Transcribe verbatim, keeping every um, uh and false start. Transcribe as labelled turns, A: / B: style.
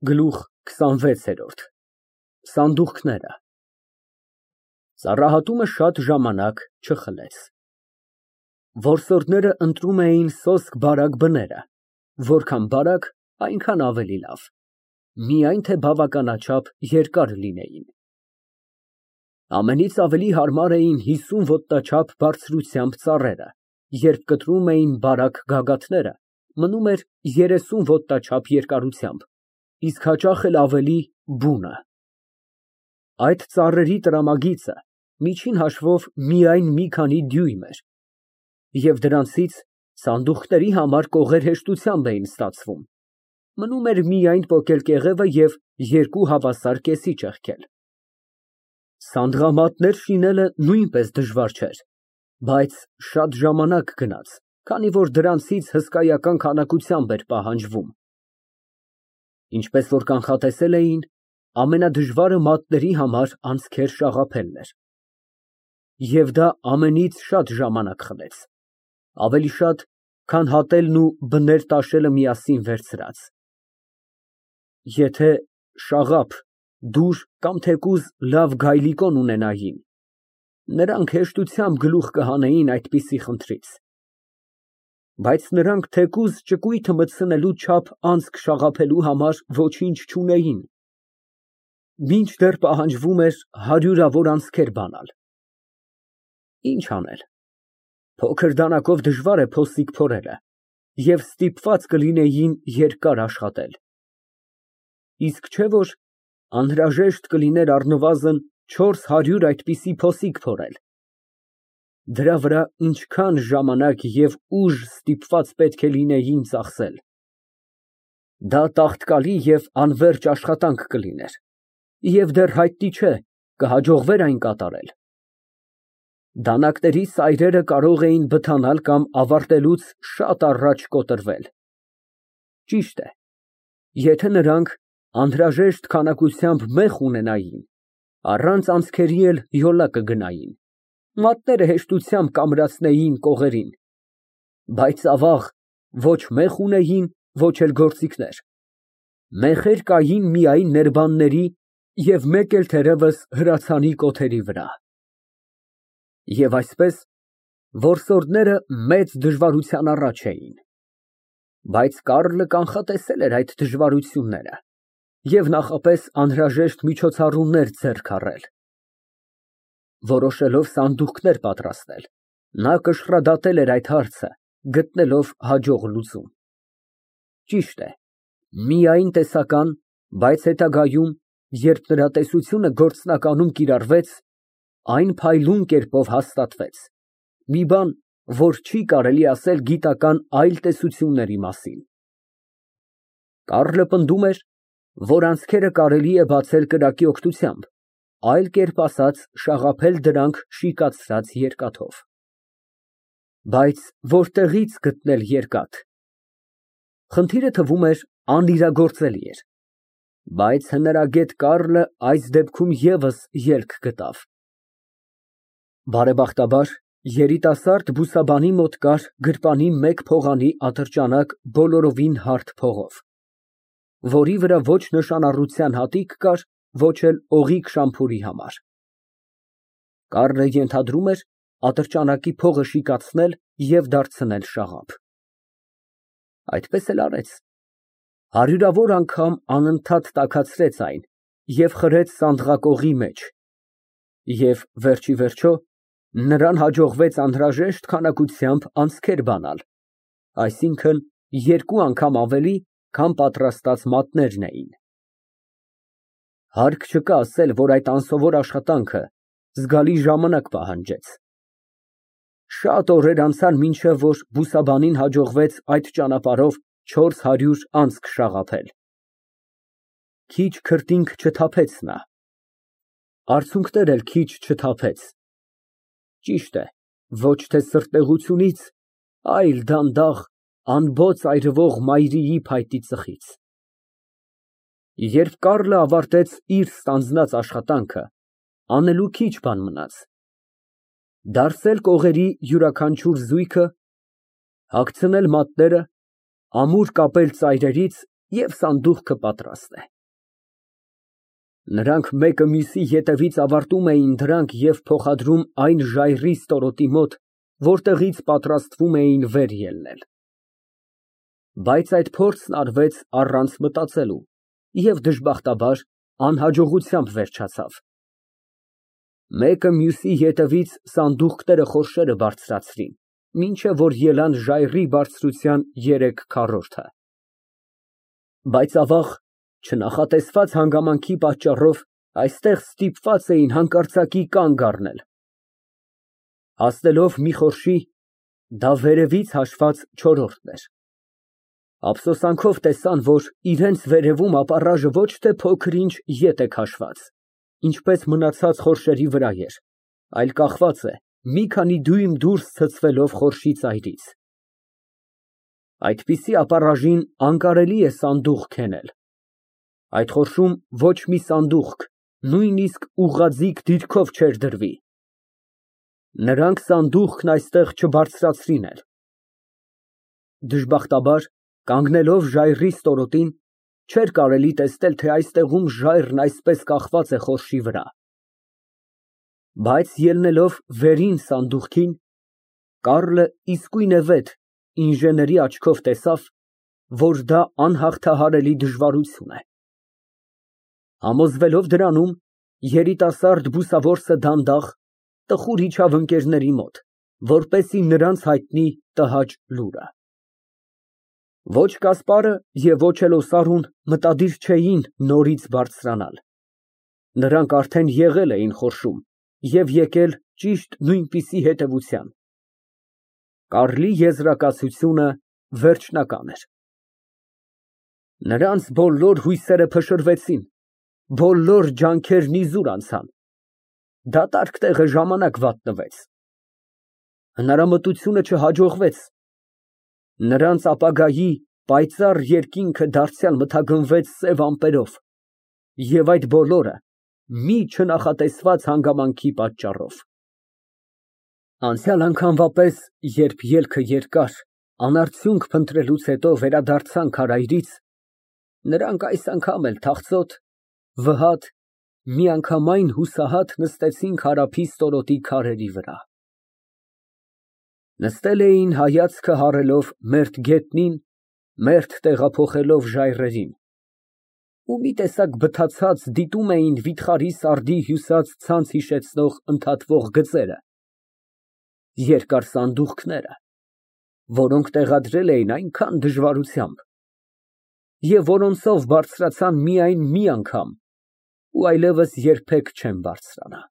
A: Գլուխ քսանվեցերորդ Սանդուղքները Ծառահատումը շատ ժամանակ չխլեց։ Որսորդները ընտրում էին սոսկ բարակ բները, որքան բարակ, այնքան ավելի լավ, միայն թե բավականաչափ երկար լինեին։ Ամենից ավելի հարմար էին հիսուն ոտնաչափ բարձրությամբ ծառերը, երբ կտրում էին բարակ գագաթները, մնում էր երեսուն ոտնաչափ երկարությամբ, իսկ հաճախ էլ ավելի բունը։ Այդ ծառերի տրամագիծը միջին հաշվով միայն մի քանի դյույմ էր, և դրանցից սանդուղքների համար կողեր հեշտությամբ էին ստացվում, մնում էր միայն պոկել կեղևը և երկու հավասար կեսի ճեղքել։ Սանդղամատներ շինելը նույնպես դժվար չէր, բայց շատ ժամանակ գնաց, քանի որ դրանցից հսկայական քանակությամբ էր պահանջվում։ Ինչպես որ կանխատեսել էին, ամենադժվարը մատների համար անցքեր շաղափելն էր։ Եվ դա ամենից շատ ժամանակ խլեց, ավելի շատ, քան հատելն ու բներ տաշելը միասին վերցրած։ Եթե շաղափ, դուր կամ թեկուզ լավ գայլիկոն ունենային, նրանք հեշտությամբ գլուխ կհանեին այդպիսի խնդրից, բայց նրանք թեկուզ ճկույթը մտցնելու չափ անցք շաղափելու համար ոչինչ չունեին, մինչդեռ պահանջվում էր հարյուրավոր անցքեր բանալ։ Ինչ անել, փոքր դանակով դժվար է փոսիկ փորելը, և ստիպված կլինեին երկար աշխատել։ Իսկ չէ՞ որ անհրաժեշտ կլիներ առնվազն չորս հարյուր այդպիսի փոսիկ փորել։ Դրա վրա ինչքան ժամանակ և ուժ ստիպված պետք է լինեին ծախսել։ Դա տաղտկալի և անվերջ աշխատանք կլիներ, և դեռ հայտնի չէ, կհաջողվե՞ր այն կատարել։ Դանակների սայրերը կարող էին բթանալ կամ ավարտելուց շատ առաջ կոտրվել։ Ճիշտ է, եթե նրանք անհրաժեշտ քանակությամբ մեխ ունենային, առանց անցքերի էլ յոլա կգնային, մատները հեշտությամբ կամրացնեին կողերին, բայց ավաղ, ոչ մեխ ունեին, ոչ էլ գործիքներ, մեխեր կային միայն ներբանների և մեկ էլ թերևս հրացանի կոթերի վրա։ Եվ այսպես, որսորդները մեծ դժվարության առաջ էին։ Բայց Կառլը կանխատեսել էր այդ դժվարությունները և նախապես անհրաժեշտ միջոցառումներ ձեռք առել։ Որոշելով սանդուղքներ պատրաստել, նա կշռադատել էր այդ հարցը, գտնելով հաջող լուծում։ Ճիշտ է, միայն տեսական, բայց հետագայում, երբ նրա տեսությունը գործնականում կիրառվեց, այն փայլուն կերպով հաստատվեց, մի բան, որ չի կարելի ասել գիտական այլ տեսությունների մասին։ Կառլը պնդում էր, որ անցքերը կարելի է բացել կրակի օգնությամբ, այլ կերպ ասած, շաղափել դրանք շիկացրած երկաթով։ Բայց որտեղի՞ց գտնել երկաթ։ Խնդիրը, թվում էր, անիրագործելի էր, բայց հնարագետ Կառլը այս դեպքում ևս ելք գտավ։ Բարեբախտաբար, երիտասարդ բուսաբանի մոտ կար գրպանի մեկ փողանի ատրճանակ բոլորովին հարթ փողով, որի վրա ոչ նշանառության հատիկ կար, ոչ էլ օղիք շամփուրի համար։ Կառլը ենթադրում էր ատրճանակի փողը շիկացնել և դարձնել շաղափ։ Այդպես էլ արեց, հարյուրավոր անգամ անընդհատ տաքացրեց այն և խրեց սանդղակողի մեջ, և վերջ ի վերջո նրան հաջողվեց անհրաժեշտ քանակությամբ անցքեր բանալ, այսինքն՝ երկու անգամ ավելի, քան պատրաստած մատներն էին։ Հարկ չկա ասել, որ այդ անսովոր աշխատանքը զգալի ժամանակ պահանջեց։ Շատ օրեր անցան, մինչև որ բուսաբանին հաջողվեց այդ ճանապարհով չորս հարյուր անցք շաղափել։ Քիչ քրտինք չթափեց նա, արցունքներ էլ քիչ չթափեց, ճիշտ է, ոչ թե սրտեղությունից, այլ դանդաղ, անբոց այրվող մայրիի փայտի ծխից։ Երբ Կառլը ավարտեց իր ստանձնած աշխատանքը, անելու քիչ բան մնաց։ Դարսել կողերի յուրաքանչյուր զույգը, հագցնել մատները, ամուր կապել ծայրերից և սանդուղքը պատրաստ է։ Նրանք մեկը մյուսի ետևից ավարտում էին դրանք և փոխադրում այն ժայռի ստորոտի մոտ, որտեղից պատրաստվում էին վեր ելնել։ Բայց այդ փորձն արվեց առանց մտածելու և դժբախտաբար անհաջողությամբ վերջացավ։ Մեկը մյուսի ետևից սանդուղքները խորշերը բարձրացրին, մինչև որ ելան ժայռի բարձրության երեք քառորդը։ Բայց ավաղ, չնախատեսված հանգամանքի պատճառով, այստեղ ստիպված էին հանկարծակի կանգ առնել։ Հասնելով մի խորշի, դա վերևից հաշված չորրորդն էր, ափսոսանքով տեսան, որ իրենց վերևում ապառաժը ոչ թե փոքր-ինչ ետ է քաշված, ինչպես մնացած խորշերի վրա էր, այլ կախված է մի քանի դյույմ դուրս ցցվելով խորշի ծայրից։ Այդպիսի ապառաժին անկարելի է սանդուղք հենել։ Այդ խորշում ոչ մի սանդուղք, նույնիսկ ուղղաձիգ դիրքով չէր դրվի։ Նրանք սանդուղքն այստեղ չբարձրացրին էլ։ Դժբախտաբար, կանգնելով ժայռի ստորոտին, չէր կարելի տեսնել, թե այստեղում ժայռն այսպես կախված է խորշի վրա։ Բայց ելնելով վերին սանդուղքին, Կարլը իսկույնևեթ ինժեների աչքով տեսավ, որ դա անհաղթահարելի դժվարություն է։ Համոզվելով դրանում, երիտասարդ բուսավորսը դանդաղ, տխուր իջավ ընկերների մոտ, որպեսզի նրանց հայտնի տհաճ լուրը։ Ոչ Կասպարը և ոչ էլ Օսարուն մտադիր չէին նորից բարձրանալ։ Նրանք արդեն եղել էին խորշում և եկել ճիշտ նույնպիսի հետևության։ Կարլի եզրակացությունը վերջնական էր։ Նրանց բոլոր հույսերը փշրվեցին, բոլոր ջանքերն իզուր անցան։ Դատարկ տեղը ժամանակ վատնվեց։ Հնարամտությունը չհաջողվեց։ Նրանց ապագայի պայծառ երկինքը դարձյալ մթագնվեց սև ամպերով, և այդ բոլորը մի չնախատեսված հանգամանքի պատճառով։ Անցյալ անգամվա պես, երբ ելքը երկար, անարդյունք փնտրելուց հետո վերադարձան քարայրից, նրանք այս անգամ էլ թախծոտ, վհատ, միանգամայն հուսահատ նստեցին քարափի ստորոտի քարերի վրա։ Նստել էին հայացքը հառելով մերթ գետնին, մերթ տեղափոխելով ժայռերին, ու մի տեսակ բթացած դիտում էին վիթխարի սարդի հյուսած ցանց հիշեցնող ընդհատվող գծերը, երկար սանդուղքները, որոնք տեղադրել էին այնքան դժվարությամբ, և որոնցով բարձրացան միայն մի անգամ ու այլևս երբեք չեն բարձրանա։